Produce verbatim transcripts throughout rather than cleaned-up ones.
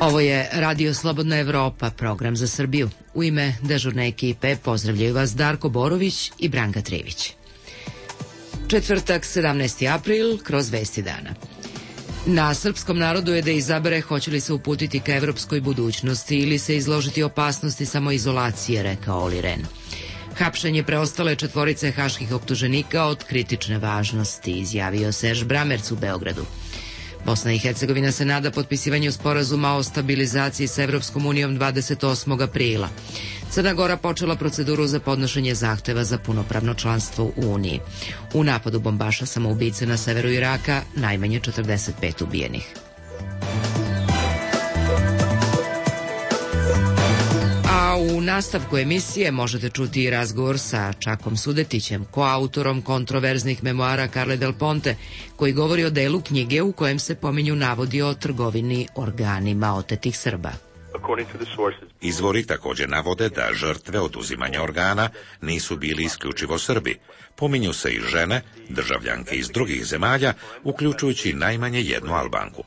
Ovo je Radio Slobodna Evropa, program za Srbiju. U ime dežurne ekipe pozdravljaju vas Darko Borović i Branka Trivić. Četvrtak, sedamnaesti april, kroz vesti dana. Na srpskom narodu je da izabere hoće li se uputiti ka evropskoj budućnosti ili se izložiti opasnosti samoizolacije, rekao Oli Ren. Hapšenje preostale četvorice haških optuženika od kritične važnosti, izjavio Serž Bramerc u Beogradu. Bosna i Hercegovina se nada potpisivanju sporazuma o stabilizaciji sa Evropskom unijom dvadeset osmog aprila. Crna Gora počela proceduru za podnošenje zahteva za punopravno članstvo u Uniji. U napadu bombaša samoubice na severu Iraka najmanje četrdeset pet ubijenih. A u nastavku emisije možete čuti i razgovor sa Čakom Sudetićem, koautorom kontroverznih memoara Carle Del Ponte, koji govori o delu knjige u kojem se pominju navodi o trgovini organima otetih Srba. Izvori također navode da žrtve oduzimanja organa nisu bili isključivo Srbi. Pominju se i žene, državljanke iz drugih zemalja, uključujući najmanje jednu Albanku.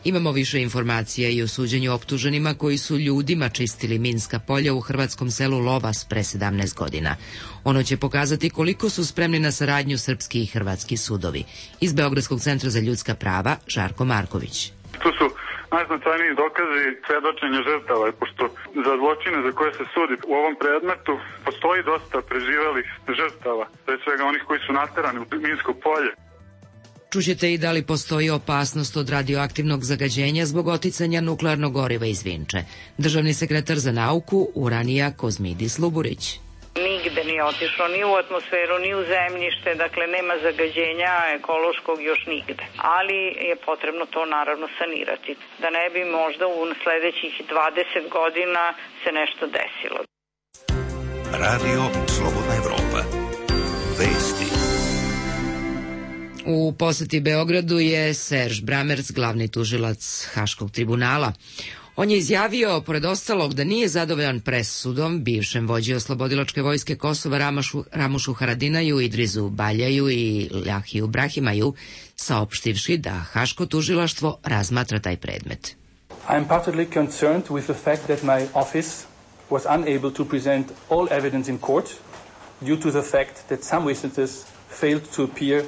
Imamo više informacija i o suđenju optuženima koji su ljudima čistili minska polja u hrvatskom selu Lovas pre sedamnaest godina. Ono će pokazati koliko su spremni na saradnju srpski i hrvatski sudovi. Iz Beogradskog centra za ljudska prava, Žarko Marković. Tu su najznačajniji dokazi svedočenja žrtava, pošto za zločine za koje se sudi u ovom predmetu postoji dosta preživelih žrtava, pre svega onih koji su naterani u minsko polje. Čućete i da li postoji opasnost od radioaktivnog zagađenja zbog oticanja nuklearnog goriva iz Vinče. Državni sekretar za nauku Uranija Kozmidis Luburić. Nigde nije otišlo, ni u atmosferu, ni u zemljište, dakle nema zagađenja ekološkog još nigde. Ali je potrebno to naravno sanirati, da ne bi možda u sledećih dvadeset godina se nešto desilo. Radio Slobodna Evropa. Vesti. U poseti Beogradu je Serž Bramerc, glavni tužilac Haškog tribunala. On je izjavio, pored ostalog, da nije zadovoljan presudom bivšem vođi oslobodilačke vojske Kosova Ramašu, Ramušu Haradinaju, Idrizu Baljaju i Ljahiju Brahimaju, saopštivši da Haško tužilaštvo razmatra taj predmet. I am partly concerned with the fact that my office was unable to present all evidence in court due to the fact that some witnesses failed to appear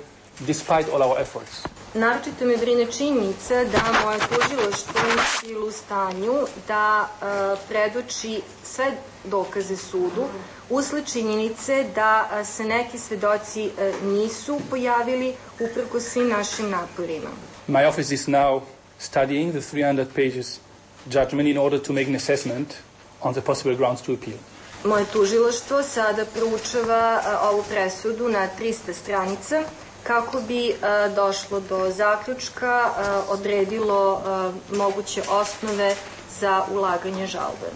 despite all our efforts. Naročito me brine činjenica da moje tužilaštvo nije bilo u stanju da uh, predoči sve dokaze sudu, usled činjenice da uh, se neki svedoci uh, nisu pojavili uprkos svim našim naporima. My office is now studying the three hundred pages judgment in order to make an assessment on the possible grounds to appeal. Moje tužilaštvo sada proučava uh, ovu presudu na trista stranica, kako bi uh, došlo do zaključka, uh, odredilo uh, moguće osnove za ulaganje žalbe.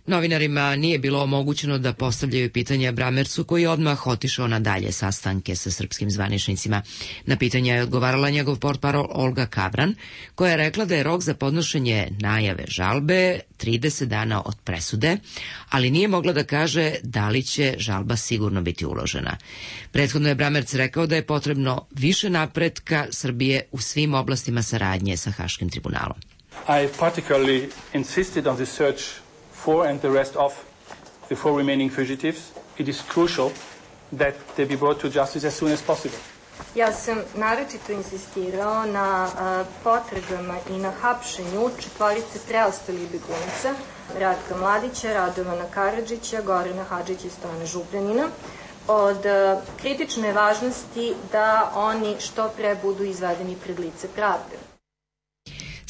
Novinarima nije bilo omogućeno da postavljaju pitanja Bramercu, koji je odmah otišao na dalje sastanke sa srpskim zvaničnicima. Na pitanja je odgovarala njegov portparol Olga Kavran, koja je rekla da je rok za podnošenje najave žalbe trideset dana od presude, ali nije mogla da kaže da li će žalba sigurno biti uložena. Prethodno je Bramerc rekao da je potrebno više napretka Srbije u svim oblastima saradnje sa Haškim tribunalom. I particularly insisted on the search for and the arrest of the four remaining fugitives. It is crucial that they be brought to justice as soon as possible. Ja sam naročito insistirao na uh, potragama i na hapšenju četvorice preostalih begunaca, Ratka Mladića, Radovana Karadžića, Gorana Hadžića i Stojana Župljanina. Od uh, kritične važnosti da oni što pre budu izvedeni pred lice pravde.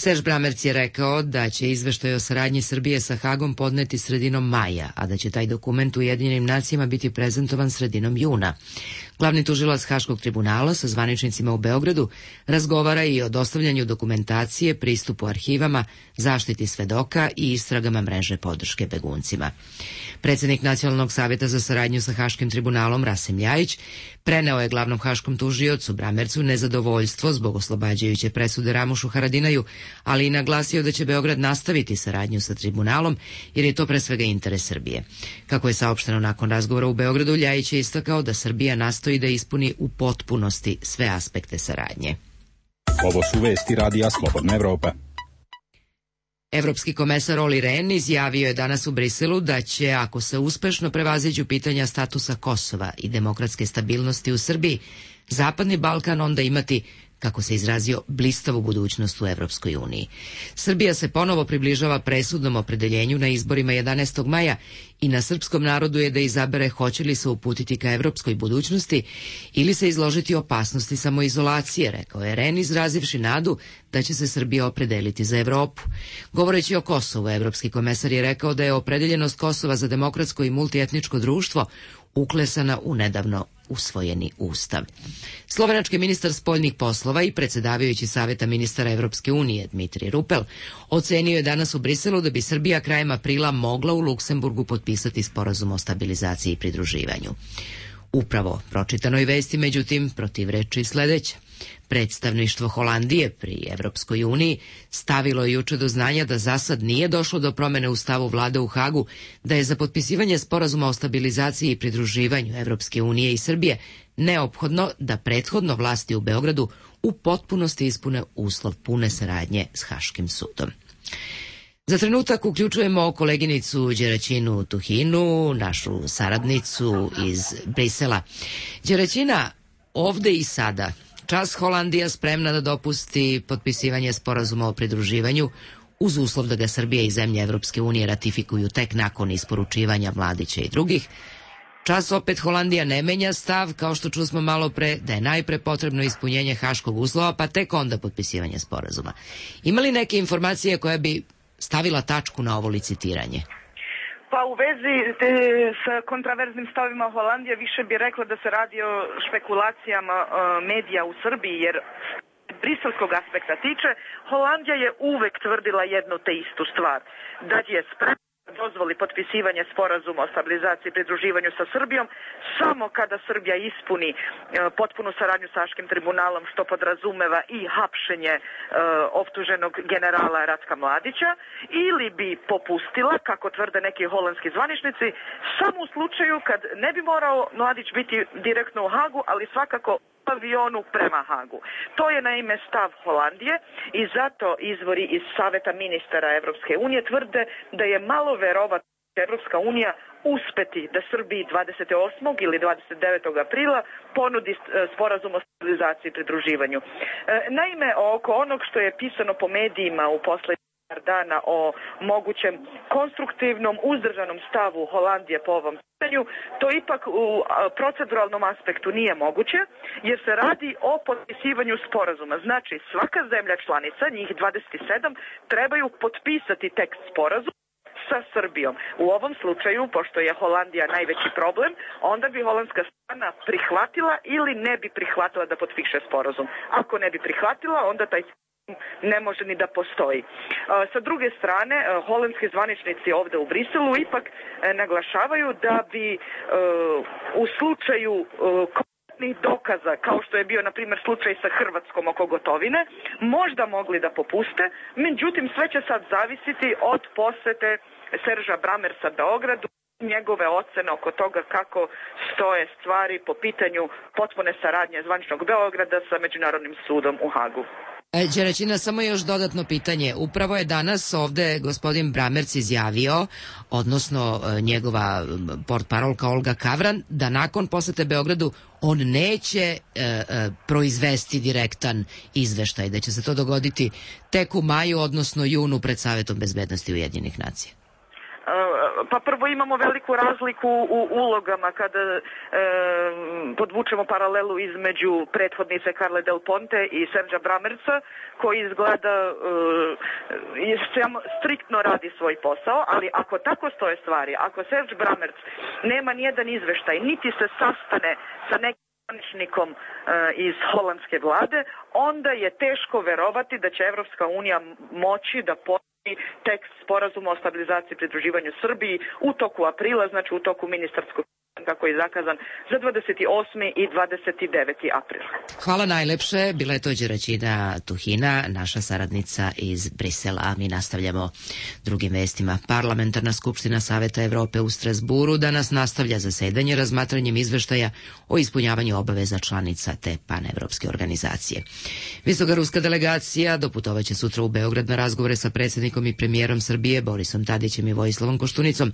Serž Bramerc je rekao da će izveštaj o saradnji Srbije sa Hagom podneti sredinom maja, a da će taj dokument u Ujedinjenim nacijama biti prezentovan sredinom juna. Glavni tužilac Haškog tribunala sa zvaničnicima u Beogradu razgovara i o dostavljanju dokumentacije, pristupu arhivama, zaštiti svedoka i istragama mreže podrške beguncima. Predsednik Nacionalnog savjeta za saradnju sa Haškim tribunalom Rasim Ljajić preneo je glavnom haškom tužiocu Bramercu nezadovoljstvo zbog oslobađajuće presude Ramušu Haradinaju, ali i naglasio da će Beograd nastaviti saradnju sa tribunalom jer je to pre svega interes Srbije. Kako je saopšteno nakon razgovora u Beogradu, Ljajić je istakao da Srbija nastoji da ispuni u potpunosti sve aspekte saradnje. Ovo su vesti radija Slobodna Evropa. Evropski komesar Olli Rehn izjavio je danas u Briselu da će, ako se uspešno prevaziđu pitanja statusa Kosova i demokratske stabilnosti u Srbiji, Zapadni Balkan onda imati, kako se izrazio, blistavu budućnost u Evropskoj uniji. Srbija se ponovo približava presudnom opredeljenju na izborima jedanaestog maja i na srpskom narodu je da izabere hoće li se uputiti ka evropskoj budućnosti ili se izložiti opasnosti samoizolacije, rekao je Rehn, izrazivši nadu da će se Srbija opredeliti za Evropu. Govoreći o Kosovu, evropski komesar je rekao da je opredeljenost Kosova za demokratsko i multietničko društvo uklesana u nedavno usvojeni ustav. Slovenački ministar spoljnih poslova i predsjedavajući Saveta ministara Evropske unije Dmitrij Rupel ocenio je danas u Briselu da bi Srbija krajem aprila mogla u Luksemburgu potpisati sporazum o stabilizaciji i pridruživanju. Upravo pročitanoj vesti, međutim, protivreči sledeće. Predstavništvo Holandije pri Evropskoj uniji stavilo je juče do znanja da za sad nije došlo do promene u stavu vlade u Hagu, da je za potpisivanje sporazuma o stabilizaciji i pridruživanju Evropske unije i Srbije neophodno da prethodno vlasti u Beogradu u potpunosti ispune uslov pune saradnje s Haškim sudom. Za trenutak uključujemo koleginicu Đeraćinu Tuhinu, našu saradnicu iz Brisela. Đeraćina, ovde i sada, čas Holandija spremna da dopusti potpisivanje sporazuma o pridruživanju uz uslov da ga Srbija i zemlje Evropske unije ratifikuju tek nakon isporučivanja Mladića i drugih. Čas opet Holandija ne menja stav, kao što čusmo malo pre, da je najpre potrebno ispunjenje haškog uslova, pa tek onda potpisivanje sporazuma. Ima li neke informacije koja bi stavila tačku na ovo licitiranje? Pa u vezi te, s kontraverznim stavima Holandije više bi rekla da se radi o špekulacijama uh, medija u Srbiji, jer briselskog aspekta tiče, Holandija je uvek tvrdila jednu te istu stvar, da je spremna dozvoli potpisivanje sporazuma o stabilizaciji i pridruživanju sa Srbijom samo kada Srbija ispuni e, potpunu saradnju sa Haškim tribunalom, što podrazumeva i hapšenje e, optuženog generala Ratka Mladića, ili bi popustila, kako tvrde neki holandski zvaničnici, samo u slučaju kad ne bi morao Mladić biti direktno u Hagu, ali svakako avionu prema Hagu. To je naime stav Holandije i zato izvori iz Saveta ministara Evropske unije tvrde da je malo verovatno da će Evropska unija uspeti da Srbiji dvadeset osmog ili dvadeset devetog aprila ponudi sporazum o stabilizaciji i pridruživanju. Naime, oko onog što je pisano po medijima u poslednjih dana o mogućem konstruktivnom, uzdržanom stavu Holandije po ovom pitanju, to ipak u proceduralnom aspektu nije moguće, jer se radi o potpisivanju sporazuma. Znači, svaka zemlja članica, njih dvadeset sedam, trebaju potpisati tekst sporazuma sa Srbijom. U ovom slučaju, pošto je Holandija najveći problem, onda bi holandska strana prihvatila ili ne bi prihvatila da potpiše sporazum. Ako ne bi prihvatila, onda taj ne može ni da postoji. Sa druge strane, holandski zvaničnici ovde u Briselu ipak naglašavaju da bi u slučaju konkretnih dokaza, kao što je bio, na primjer, slučaj sa Hrvatskom oko Gotovine, možda mogli da popuste, međutim, sve će sad zavisiti od posete Serža Bramersa Beogradu, njegove ocene oko toga kako stoje stvari po pitanju potpune saradnje zvaničnog Beograda sa Međunarodnim sudom u Hagu. Đeraćina, samo još dodatno pitanje. Upravo je danas ovde gospodin Bramerc izjavio, odnosno njegova portparolka Olga Kavran, da nakon posete Beogradu on neće e, e, proizvesti direktan izveštaj, da će se to dogoditi tek u maju, odnosno junu pred Savetom bezbednosti Ujedinjenih nacija. Pa prvo imamo veliku razliku u ulogama kada e, podvučemo paralelu između prethodnice Carle Del Ponte i Serža Bramerca, koji izgleda e, striktno radi svoj posao, ali ako tako stoje stvari, ako Serž Bramerc nema nijedan izveštaj, niti se sastane sa nekim zvaničnikom e, iz holandske vlade, onda je teško verovati da će Evropska unija moći da tekst sporazuma o stabilizaciji i pridruživanju Srbiji u toku aprila, znači u toku ministarskog kako je zakazan za dvadeset osmi i dvadeset deveti april. Hvala najlepše. Bila je to Đeraćina Tuhina, naša saradnica iz Brisela. A mi nastavljamo drugim vestima. Parlamentarna skupština Saveta Evrope u Strasburu danas nastavlja zasedanje razmatranjem izveštaja o ispunjavanju obaveza članica te panevropske organizacije. Visoka ruska delegacija doputovaće sutra u Beograd na razgovore sa predsjednikom i premijerom Srbije Borisom Tadićem i Vojislavom Koštunicom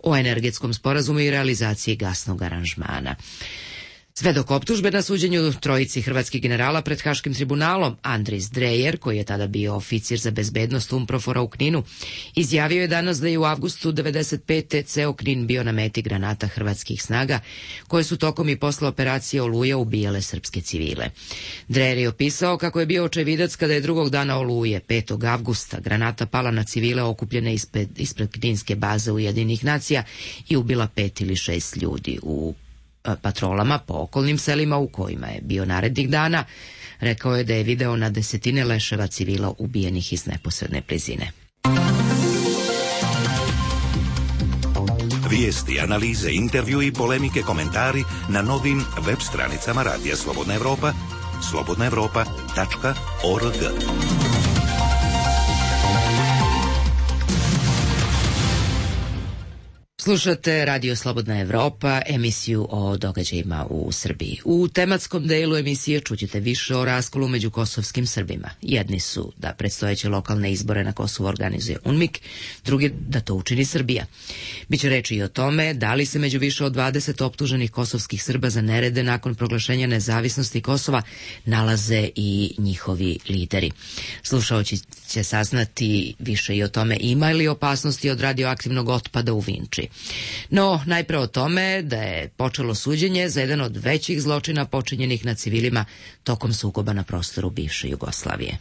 o energetskom sporazumu i realizaciji gasnog aranžmana. Sve dok optužbe na suđenju trojici hrvatskih generala pred Haškim tribunalom, Andris Drejer, koji je tada bio oficir za bezbednost Umprofora u Kninu, izjavio je danas da je u avgustu devedeset pete ceo Knin bio na meti granata hrvatskih snaga, koje su tokom i posle operacije Oluja ubijale srpske civile. Drejer je opisao kako je bio očevidac kada je drugog dana Oluje, petog avgusta, granata pala na civile okupljene ispred, ispred kninske baze Ujedinjenih nacija i ubila pet ili šest ljudi. U patrolama po okolnim selima u kojima je bio narednih dana, rekao je da je video na desetine leševa civila ubijenih iz neposredne blizine. Vijesti, analize, intervju i polemike, komentari na novim web stranicama Radija Slobodna Evropa, slobodna evropa tačka org. Slušate Radio Slobodna Evropa, emisiju o događajima u Srbiji. U tematskom delu emisije čućete više o raskolu među kosovskim Srbima. Jedni su da predstojeće lokalne izbore na Kosovu organizuje UNMIK, drugi da to učini Srbija. Biće reči i o tome da li se među više od dvadeset optuženih kosovskih Srba za nerede nakon proglašenja nezavisnosti Kosova nalaze i njihovi lideri. Slušaoći će saznati više i o tome ima li opasnosti od radioaktivnog otpada u Vinči. No, najpre o tome da je počelo suđenje za jedan od većih zločina počinjenih na civilima tokom sukoba na prostoru bivše Jugoslavije.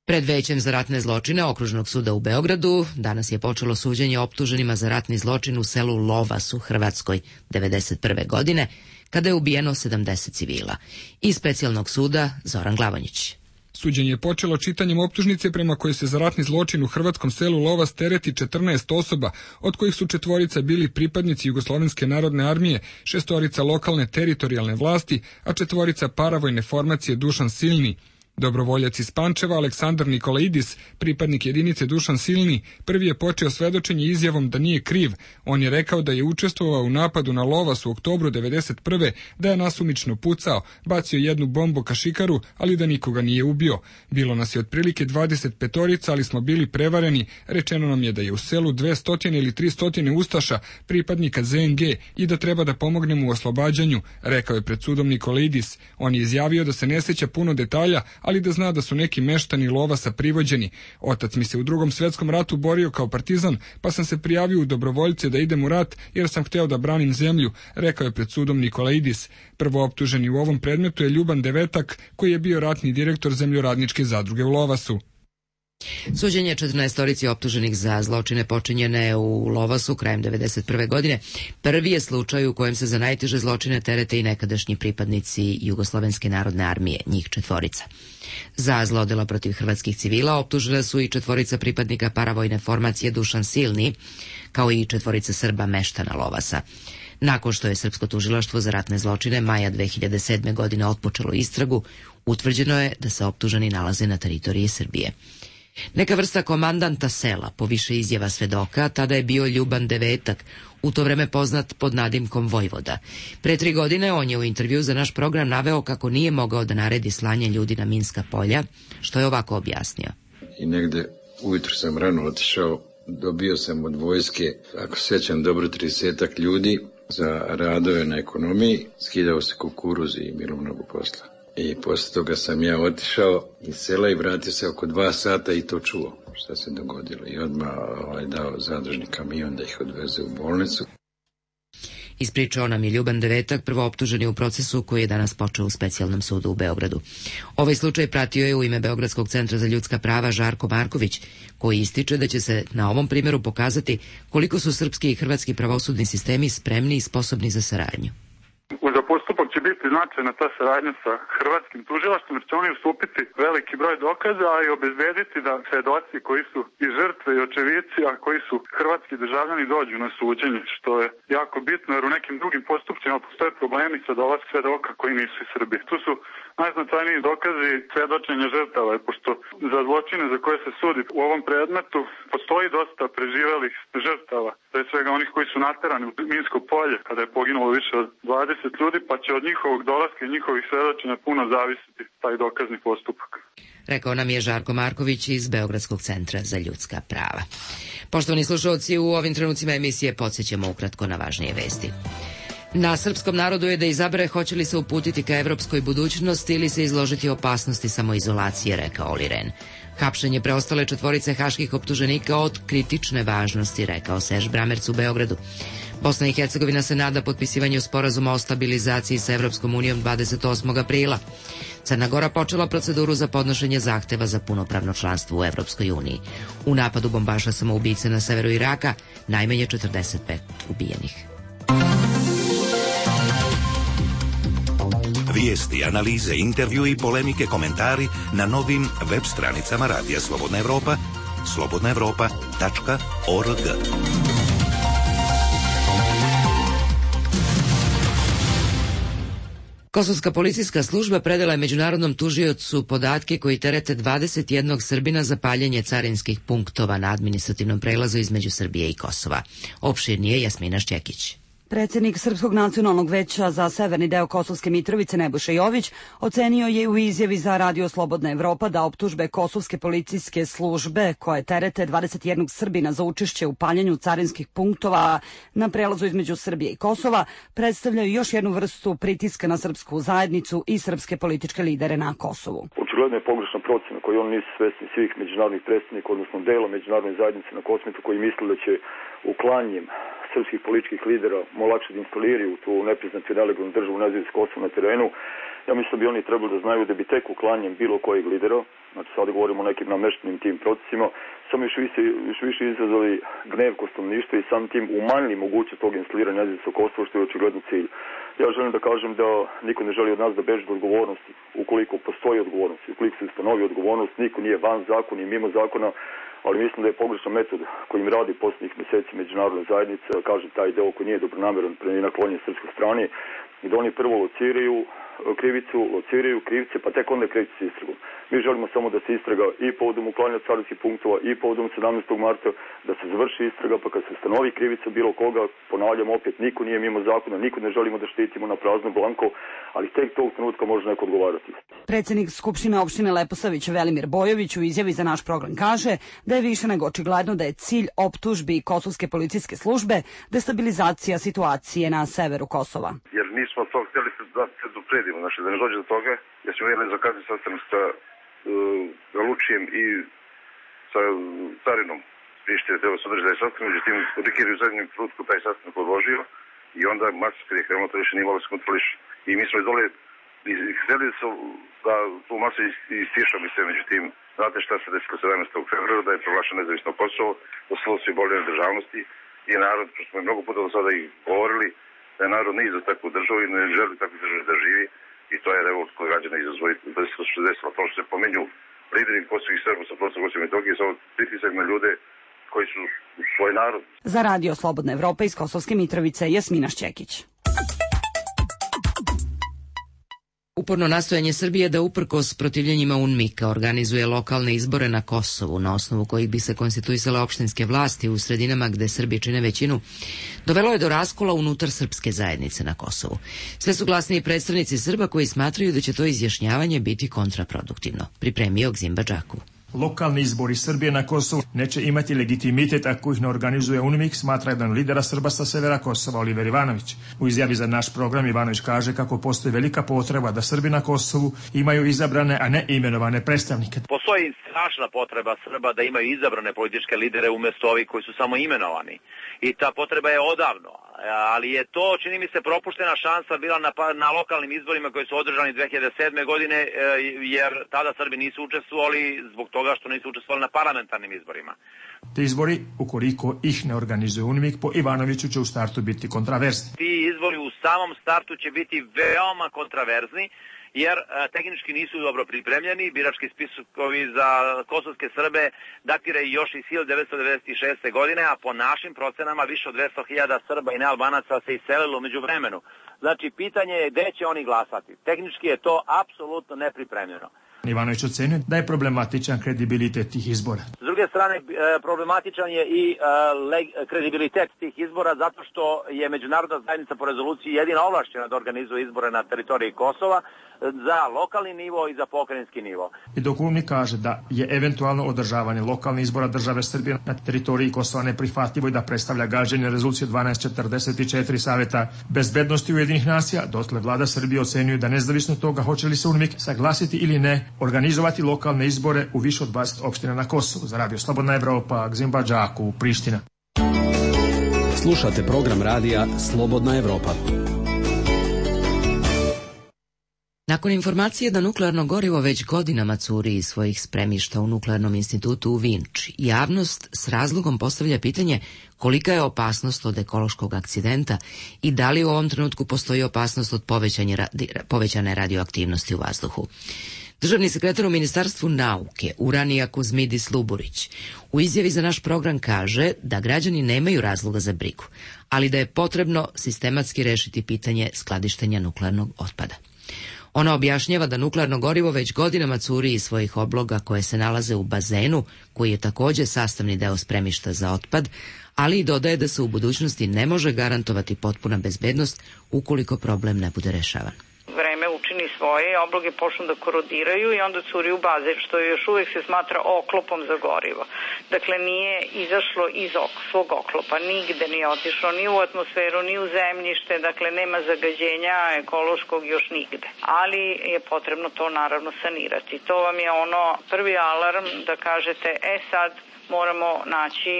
Pred Većem za ratne zločine Okružnog suda u Beogradu danas je počelo suđenje optuženima za ratni zločin u selu Lovas u Hrvatskoj devedeset prve godine, kada je ubijeno sedamdeset civila. Iz specijalnog suda Zoran Glavonjić. Suđenje je počelo čitanjem optužnice prema kojoj se za ratni zločin u hrvatskom selu Lovas tereti četrnaest osoba, od kojih su četvorica bili pripadnici Jugoslovenske narodne armije, šestorica lokalne teritorijalne vlasti, a četvorica paravojne formacije Dušan Silni. Dobrovoljac iz Pančeva Aleksandar Nikolaidis, pripadnik jedinice Dušan Silni, prvi je počeo svedočenje izjavom da nije kriv. On je rekao da je učestvovao u napadu na Lovas u oktobru devedeset prve, da je nasumično pucao, bacio jednu bombu kašikaru, ali da nikoga nije ubio. Bilo nas je otprilike dvadeset petorica, ali smo bili prevareni. Rečeno nam je da je u selu dvesta ili trista ustaša, pripadnika Z N G, i da treba da pomognemo u oslobađanju, rekao je pred sudom Nikolaidis. On je izjavio da se ne sjeća puno detalja, ali da zna da su neki meštani Lovasa privođeni. Otac mi se u drugom svetskom ratu borio kao partizan, pa sam se prijavio u dobrovoljce da idem u rat jer sam hteo da branim zemlju, rekao je pred sudom Nikolaidis. Prvo optuženi u ovom predmetu je Ljuban Devetak, koji je bio ratni direktor zemljoradničke zadruge u Lovasu. Suđenje četrnaestorici optuženih za zločine počinjene u Lovasu krajem devedeset prve godine prvi je slučaj u kojem se za najteže zločine terete i nekadašnji pripadnici Jugoslovenske narodne armije, njih četvorica. Za zlodela protiv hrvatskih civila optužena su i četvorica pripadnika paravojne formacije Dušan Silni, kao i četvorica Srba meštana Lovasa. Nakon što je Srpsko tužilaštvo za ratne zločine maja dve hiljade sedme. godine otpočelo istragu, utvrđeno je da se optuženi nalaze na teritoriji Srbije. Neka vrsta komandanta sela, po više izjava svedoka, tada je bio Ljuban Devetak, u to vreme poznat pod nadimkom Vojvoda. Pre tri godine on je u intervju za naš program naveo kako nije mogao da naredi slanje ljudi na minska polja, što je ovako objasnio. I negde ujutru sam rano otišao, dobio sam od vojske, ako sećam dobro, tridesetak ljudi za radove na ekonomiji, skidao se kukuruz i bilo mnogo posla. I posle toga sam ja otišao iz sela i vratio se oko dva sata i to čuo šta se dogodilo. I odmah ovaj, dao zadružni kamion da ih odveze u bolnicu. Ispričao nam je Ljuban Devetak, prvo optuženi u procesu koji je danas počeo u specijalnom sudu u Beogradu. Ovaj slučaj pratio je u ime Beogradskog centra za ljudska prava Žarko Marković, koji ističe da će se na ovom primjeru pokazati koliko su srpski i hrvatski pravosudni sistemi spremni i sposobni za saradnju. Za postupak će biti biti značajna ta saradnja sa hrvatskim tužilaštvom, jer će oni ustupiti veliki broj dokaza, a i obezbediti da svedoci koji su i žrtve i očevici, a koji su hrvatski državljani, dođu na suđenje, što je jako bitno, jer u nekim drugim postupcima postoje problemi sa dolazkom svedoka koji nisu iz Srbije. Tu su najznačajniji dokazi svedočenja žrtava, pošto za zločine za koje se sudi u ovom predmetu postoji dosta preživelih žrtava, pre svega onih koji su naterani u minsko polje kada je poginulo više od dvadeset ljudi, pa će od njihovog dolaska i njihovih svedočenja puno zavisiti taj dokazni postupak. Rekao nam je Žarko Marković iz Beogradskog centra za ljudska prava. Poštovani slušalci, u ovim trenucima emisije podsjećamo ukratko na važnije vesti. Na srpskom narodu je da izabere hoće li se uputiti ka evropskoj budućnosti ili se izložiti opasnosti samoizolacije, rekao Oli Ren. Hapšenje preostale četvorice haških optuženika od kritične važnosti, rekao Serž Bramerc u Beogradu. Bosna i Hercegovina se nada potpisivanju sporazuma o stabilizaciji sa Evropskom unijom dvadeset osmog aprila. Crna Gora počela proceduru za podnošenje zahteva za punopravno članstvo u Evropskoj uniji. U napadu bombaša samoubice na severu Iraka najmanje četrdeset pet ubijenih. Vijesti, analize, intervju i polemike, komentari na novim web stranicama Radija Slobodna Evropa, slobodna evropa tačka org. Kosovska policijska služba predala je međunarodnom tužiocu podatke koji terete dvadeset jednog Srbina za paljenje carinskih punktova na administrativnom prelazu između Srbije i Kosova. Opširnije Jasmina Šćekić. Predsjednik Srpskog nacionalnog veća za severni deo Kosovske Mitrovice Nebojša Jović ocenio je u izjavi za Radio Slobodna Evropa da optužbe Kosovske policijske službe koje terete dvadeset jednog Srbina za učešće u paljenju carinskih punktova na prelazu između Srbije i Kosova predstavljaju još jednu vrstu pritiska na srpsku zajednicu i srpske političke lidere na Kosovu. Očigledno je pogrešna procena koju oni nisu svesni svih međunarodnih predstavnika, odnosno dela međunarodne zajednice na Kosmetu koji misle da će uklanjem srpskih političkih lidera lakše da instaliraju tu nepriznatu i nelegalnu državu nazivu s Kosovom na terenu. Ja mislim da bi oni trebali da znaju da bi tek uklanjem bilo kojeg lidera, znači sada govorimo o nekim nameštenim tim procesima, samo još više, još više izazvali gnev kod stanovništva i sam tim umanjili mogućnost tog instaliranja nezavisnog Kosova, što je očigledno cilj. Ja želim da kažem da niko ne želi od nas da beži od odgovornosti. Ukoliko postoji odgovornost, ukoliko se ustanovi odgovornost, niko nije van zakona i mimo zakona, ali mislim da je pogrešan metod kojim radi posljednjih mjeseci međunarodna zajednica, kažem taj deo koji nije dobronameran i naklonjen srpskoj strani, i da oni prvo lociraju krivicu, lociraju krivce, pa tek onda kreću s istragom. Mi želimo samo da se istraga i povodom uklanjanja carinskih punktova i povodom sedamnaestog marta, da se završi istraga, pa kad se stanovi krivica bilo koga, ponavljam opet, niko nije mimo zakona, niko ne želimo da štitimo na prazno blanko, ali tek tog trenutka može neko odgovarati. Predsjednik Skupštine opštine Leposavić Velimir Bojović u izjavi za naš program kaže da je više nego očigledno da je cilj optužbi Kosovske policijske službe destabilizacija situacije na severu Kosova. Jer nismo to htjeli da se dopredimo, znači da ne dođe do toga, jer smo imali zakazni sastanak sa uh, Galučijem i sa carinom Prištine, treba se održati taj sastanak, međutim, Rikir je u zadnjem trenutku taj sastanak odložio i onda masa kad je krenuo, to više nije malo se kontroliš. I mi smo izdole htjeli su da tu masu istišamo i sve, međutim, znate šta se desilo sedamnaestog februara, da je proglašeno nezavisno Kosovo, da su svi boljene državnosti i narod, što smo mnogo puta do sada i govorili, da je narod nije za takvu državu i ne želi takvu državu da živi i to je revolt koji građana izazvoji da se to što se desilo. To što se pomenju lideri kosovih Srba sa prostora Kosova i Metohije sa pritisak na ljude koji su svoj narod. Za Radio Slobodna Evropa iz Kosovske Mitrovice, Jasmina Šćekić. Uporno nastojanje Srbije da uprkos protivljenjima UNMIK-a organizuje lokalne izbore na Kosovu, na osnovu kojih bi se konstituisale opštinske vlasti u sredinama gde Srbi čine većinu, dovelo je do raskola unutar srpske zajednice na Kosovu. Sve su glasniji predstavnici Srba koji smatraju da će to izjašnjavanje biti kontraproduktivno. Pripremio Gzimba Džaku. Lokalni izbori Srbije na Kosovu neće imati legitimitet ako ih ne organizuje UNMIK, smatra jedan lidera Srba sa severa Kosova, Oliver Ivanović. U izjavi za naš program Ivanović kaže kako postoji velika potreba da Srbi na Kosovu imaju izabrane, a ne imenovane predstavnike. Postoji strašna potreba Srba da imaju izabrane političke lidere umjesto ovih koji su samo imenovani. I ta potreba je odavno. ali je to, čini mi se, propuštena šansa bila na, na lokalnim izborima koji su održani dve hiljade sedme. godine, jer tada Srbi nisu učestvovali zbog toga što nisu učestvovali na parlamentarnim izborima. Te izbori, ukoliko ih ne organizuje UNMIK, po Ivanoviću će u startu biti kontraverzni. Ti izbori u samom startu će biti veoma kontraverzni, jer e, tehnički nisu dobro pripremljeni. Birački spiskovi za kosovske Srbe datiraju još iz hiljadu devetsto devedeset šeste. godine, a po našim procenama više od dvesta hiljada Srba i nealbanaca se iselilo među vremenu. Znači, pitanje je gde će oni glasati. Tehnički je to apsolutno nepripremljeno. Ivanović ocenio da je problematičan kredibilitet tih izbora. S druge strane, problematičan je i kredibilitet tih izbora zato što je međunarodna zajednica po rezoluciji jedina ovlašćena da organizuje izbore na teritoriji Kosova za lokalni nivo i za pokrajinski nivo. I dok UNMIK kaže da je eventualno održavanje lokalnih izbora države Srbije na teritoriji Kosova neprihvatljivo i da predstavlja gaženje rezolucije dvanaest četrdeset četiri Saveta bezbednosti Ujedinjenih nacija, dotle vlada Srbije ocenjuje da nezavisno toga hoće li se UNMIK saglasiti ili ne organizovati lokalne izbore u više od dvadeset opština na Kosovu. Za Radio Slobodna Evropa, Gzim Badžaku, Priština. Slušate program radija Slobodna Evropa. Nakon informacije da nuklearno gorivo već godinama curi iz svojih spremišta u Nuklearnom institutu u Vinči, javnost s razlogom postavlja pitanje kolika je opasnost od ekološkog akcidenta i da li u ovom trenutku postoji opasnost od povećane radioaktivnosti u vazduhu. Državni sekretar u Ministarstvu nauke Uranija Kuzmidis Luburić u izjavi za naš program kaže da građani nemaju razloga za brigu, ali da je potrebno sistematski rešiti pitanje skladištenja nuklearnog otpada. Ona objašnjava da nuklearno gorivo već godinama curi iz svojih obloga koje se nalaze u bazenu, koji je takođe sastavni deo spremišta za otpad, ali i dodaje da se u budućnosti ne može garantovati potpuna bezbednost ukoliko problem ne bude rešavan. Vreme učini svoje, obloge počnu da korodiraju i onda curi u bazen, što još uvek se smatra oklopom za gorivo. Dakle, nije izašlo iz ok, svog oklopa, nigde nije otišlo, ni u atmosferu, ni u zemljište, dakle nema zagađenja ekološkog još nigde. Ali je potrebno to naravno sanirati. To vam je ono prvi alarm da kažete, e sad moramo naći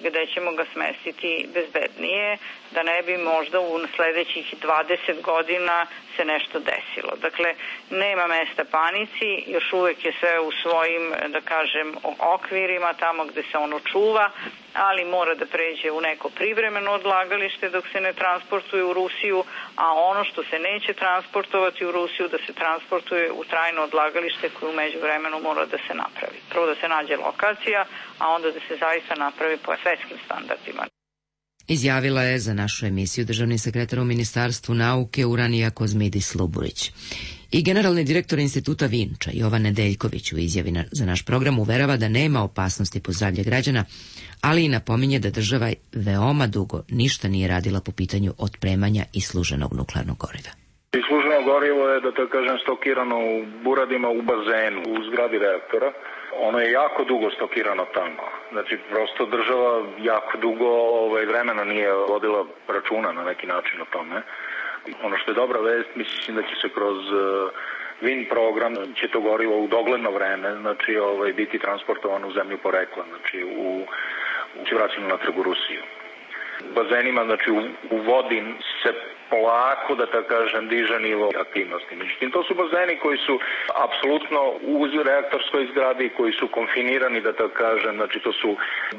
gde ćemo ga smestiti bezbednije, da ne bi možda u sledećih dvadeset godina se nešto desilo. Dakle, nema mesta panici, još uvek je sve u svojim, da kažem, okvirima, tamo gde se ono čuva, ali mora da pređe u neko privremeno odlagalište dok se ne transportuje u Rusiju, a ono što se neće transportovati u Rusiju da se transportuje u trajno odlagalište koje u međuvremenu mora da se napravi. Prvo da se nađe lokacija, a onda da se zaista napravi po svetskim standardima. Izjavila je za našu emisiju državni sekretar u Ministarstvu nauke Uranija Kuzmidis Luburić. I generalni direktor instituta Vinča Jovan Nedeljković u izjavi za naš program uverava da nema opasnosti po zdravlje građana, ali i napominje da država veoma dugo ništa nije radila po pitanju otpremanja isluženog nuklearnog goriva. Isluženo gorivo je, da tako kažem, stokirano u buradima u bazenu, u zgradi reaktora. Ono je jako dugo stokirano tamo. Znači, prosto država jako dugo ovaj, vremena nije vodila računa na neki način o tome. Ono što je dobra vest, mislim da će se kroz uh, Vin program, će to gorivo u dogledno vreme, znači, ovaj, biti transportovano u zemlju porekla, znači, u, u vraćanju natrag u Rusiju. Bazenima, znači, u, u vodi se polako, da tako kažem, diže nivo aktivnosti. Međutim, to su bazeni koji su apsolutno u reaktorskoj zgradi, koji su konfinirani, da tako kažem, znači to su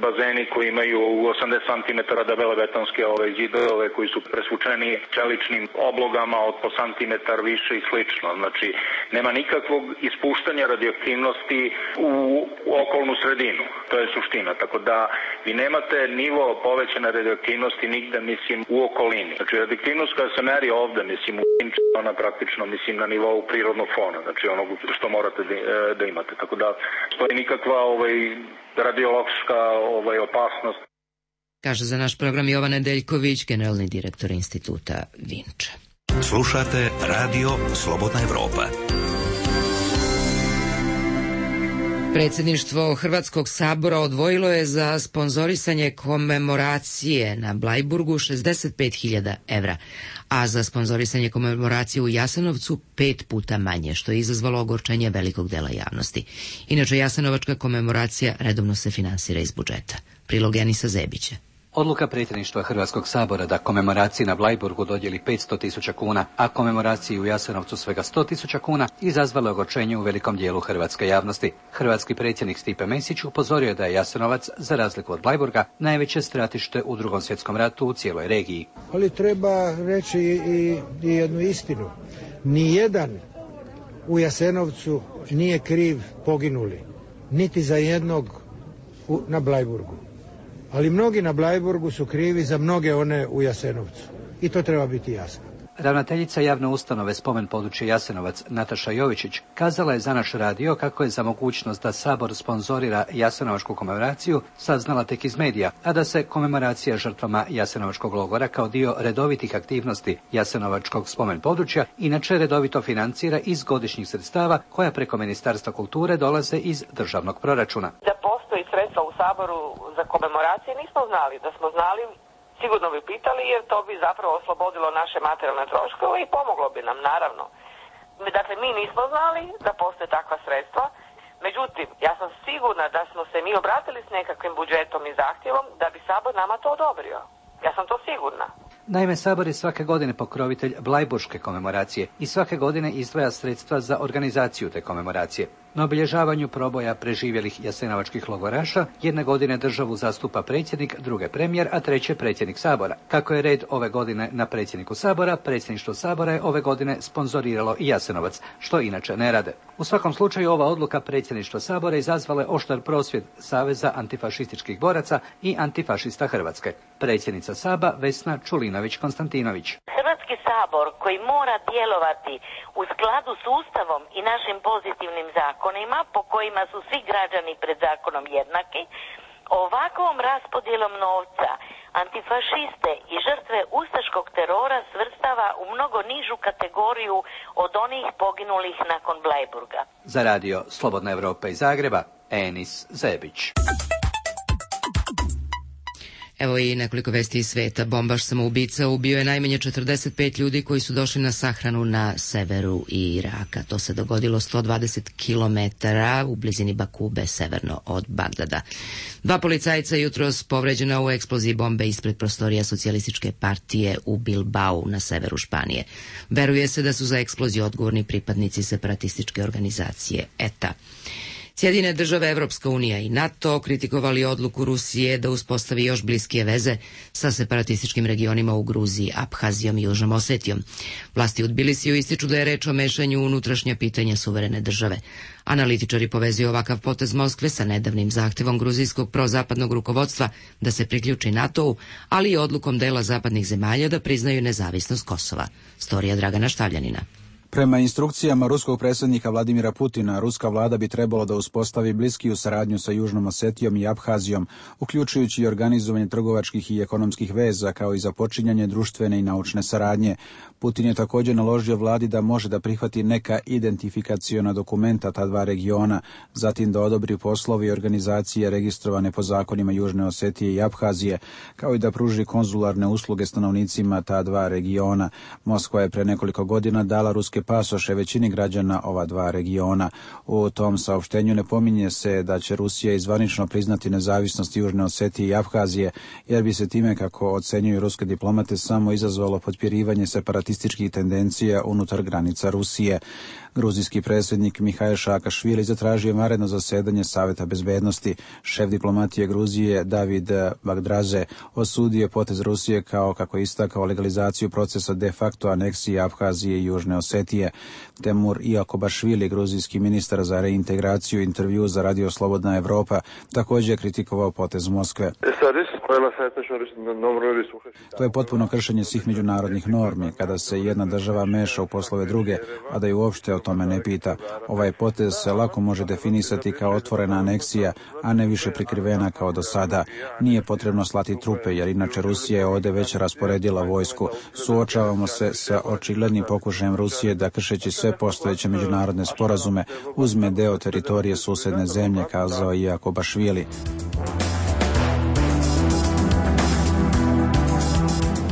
bazeni koji imaju osamdeset centimetara debele betonske ove zidove, koji su presvučeni čeličnim oblogama od po centimetar više i slično. Znači, nema nikakvog ispuštanja radioaktivnosti u, u okolnu sredinu. To je suština. Tako da vi nemate nivo povećane radioaktivnosti nigde, mislim, u okolini. Znači, radioaktivnost koja se meri ovde, mislim, u Vinči, ona praktično, mislim, na nivou prirodnog fona, znači onog što morate da, da imate. Tako da, stoji nikakva ovaj, radiološka ovaj, opasnost. Kaže za naš program Jovan Nedeljković, generalni direktor instituta Vinča. Slušate Radio Slobodna Evropa. Predsjedništvo Hrvatskog sabora odvojilo je za sponzorisanje komemoracije na Blajburgu šezdeset pet hiljada evra, a za sponzorisanje komemoracije u Jasenovcu pet puta manje, što je izazvalo ogorčenje velikog dela javnosti. Inače, Jasenovačka komemoracija redovno se finansira iz budžeta. Prilog Janisa Zebića. Odluka predsjedništva Hrvatskog sabora da komemoraciji na Bleiburgu dodijeli petsto tisuća kuna, a komemoraciji u Jasenovcu svega sto tisuća kuna, izazvalo ogorčenje u velikom dijelu hrvatske javnosti. Hrvatski predsjednik Stipe Mesić upozorio je da je Jasenovac, za razliku od Bleiburga, najveće stratište u Drugom svjetskom ratu u cijeloj regiji. Ali treba reći i, i jednu istinu. Nijedan u Jasenovcu nije kriv poginuli, niti za jednog u, na Bleiburgu. Ali mnogi na Bleiburgu su krivi za mnoge one u Jasenovcu. I to treba biti jasno. Ravnateljica javne ustanove Spomen područje Jasenovac Nataša Jovičić kazala je za naš radio kako je za mogućnost da Sabor sponzorira Jasenovačku komemoraciju saznala tek iz medija, a da se komemoracija žrtvama Jasenovačkog logora kao dio redovitih aktivnosti Jasenovačkog spomen područja inače redovito financira iz godišnjih sredstava koja preko Ministarstva kulture dolaze iz državnog proračuna. Da postoji sredstva u Saboru za komemoracije nismo znali, da smo znali sigurno bi pitali, jer to bi zapravo oslobodilo naše materijalne troškove i pomoglo bi nam, naravno. Dakle, mi nismo znali da postoje takva sredstva, međutim, ja sam sigurna da smo se mi obratili s nekakvim budžetom i zahtjevom da bi Sabor nama to odobrio. Ja sam to sigurna. Naime, Sabor je svake godine pokrovitelj Bleiburške komemoracije i svake godine izdvaja sredstva za organizaciju te komemoracije. Na obilježavanju proboja preživjelih jasenovačkih logoraša jedne godine državu zastupa predsjednik, druge premijer, a treće predsjednik Sabora. Kako je red ove godine na predsjedniku Sabora, predsjedništvo Sabora je ove godine sponzoriralo i Jasenovac, što inače ne rade. U svakom slučaju ova odluka predsjedništva Sabora izazvala je oštar prosvjed Saveza antifašističkih boraca i antifašista Hrvatske. Predsjednica Saba Vesna Čulinović-Konstantinović. Hrvatski sabor koji mora djelovati u skladu s Ustavom i našim pozitivnim zakonima po kojima su svi građani pred zakonom jednaki, ovakvom raspodjelom novca antifašiste i žrtve ustaškog terora svrstava u mnogo nižu kategoriju od onih poginulih nakon Bleiburga. Za radio Slobodna Evropa iz Zagreba, Enis Zebić. Evo i nekoliko vesti iz sveta. Bombaš samoubica ubio je najmanje četrdeset pet ljudi koji su došli na sahranu na severu Iraka. To se dogodilo sto dvadeset kilometara u blizini Bakube, severno od Bagdada. Dva policajca jutros povređena u eksploziji bombe ispred prostorija socijalističke partije u Bilbao na severu Španije. Veruje se da su za eksploziju odgovorni pripadnici separatističke organizacije E T A. Sjedine države, Evropska unija i NATO kritikovali odluku Rusije da uspostavi još bliskije veze sa separatističkim regionima u Gruziji, Abhazijom i Južnom Osetijom. Vlasti u Tbilisiju ističu da je reč o mešanju u unutrašnja pitanja suverene države. Analitičari povezuju ovakav potez Moskve sa nedavnim zahtevom gruzijskog prozapadnog rukovodstva da se priključi NATO-u, ali i odlukom dela zapadnih zemalja da priznaju nezavisnost Kosova. Storija Dragana Štavljanina. Prema instrukcijama ruskog predsjednika Vladimira Putina, ruska vlada bi trebalo da uspostavi bliskiju saradnju sa Južnom Osetijom i Abhazijom, uključujući i organizovanje trgovačkih i ekonomskih veza, kao i započinjanje društvene i naučne saradnje. Putin je također naložio vladi da može da prihvati neka identifikaciona dokumenta ta dva regiona, zatim da odobri poslovi i organizacije registrovane po zakonima Južne Osetije i Abhazije, kao i da pruži konzularne usluge stanovnicima ta dva regiona. Moskva je pre nekoliko godina dala ruske pasoše većini građana ova dva regiona. U tom saopštenju ne pominje se da će Rusija izvanično priznati nezavisnost Južne Osetije i Abhazije, jer bi se time, kako ocenjuju ruske diplomate, samo izazvalo potpirivanje separatističkih tendencija unutar granica Rusije. Gruzijski predsjednik Mihail Saakašvili zatražio je vanredno zasedanje Saveta bezbednosti. Šef diplomatije Gruzije David Bagdraze osudio je potez Rusije kao, kako je istakao, legalizaciju procesa de facto aneksije Abhazije i Južne Osetije. Temur Iakobašvili, gruzijski ministar za reintegraciju, intervju za radio Slobodna Evropa, također je kritikovao potez Moskve. To je potpuno kršenje svih međunarodnih normi, kada se jedna država meša u poslove druge, a da ju uopšte o tome ne pita. Ovaj potez se lako može definisati kao otvorena aneksija, a ne više prikrivena kao do sada. Nije potrebno slati trupe, jer inače Rusija je ovdje već rasporedila vojsku. Suočavamo se sa očiglednim pokušajem Rusije da, kršeći sve postojeće međunarodne sporazume, uzme deo teritorije susjedne zemlje, kazao je Iakobašvili.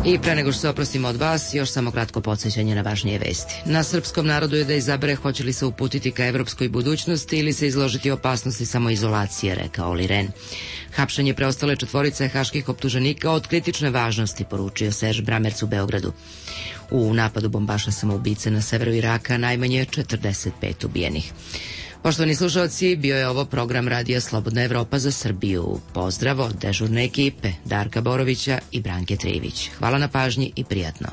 I pre nego što se oprostimo od vas, još samo kratko podsjećanje na važnije vesti. Na srpskom narodu je da izabere hoće li se uputiti ka evropskoj budućnosti ili se izložiti opasnosti samoizolacije, rekao Oli Ren. Hapšenje preostale četvorice haških optuženika od kritične važnosti, poručio Serž Bramerc u Beogradu. U napadu bombaša samoubice na severu Iraka najmanje četrdeset pet ubijenih. Poštovani slušalci, bio je ovo program Radija Slobodna Evropa za Srbiju. Pozdrav od dežurne ekipe Darka Borovića i Branke Trivić. Hvala na pažnji i prijatno.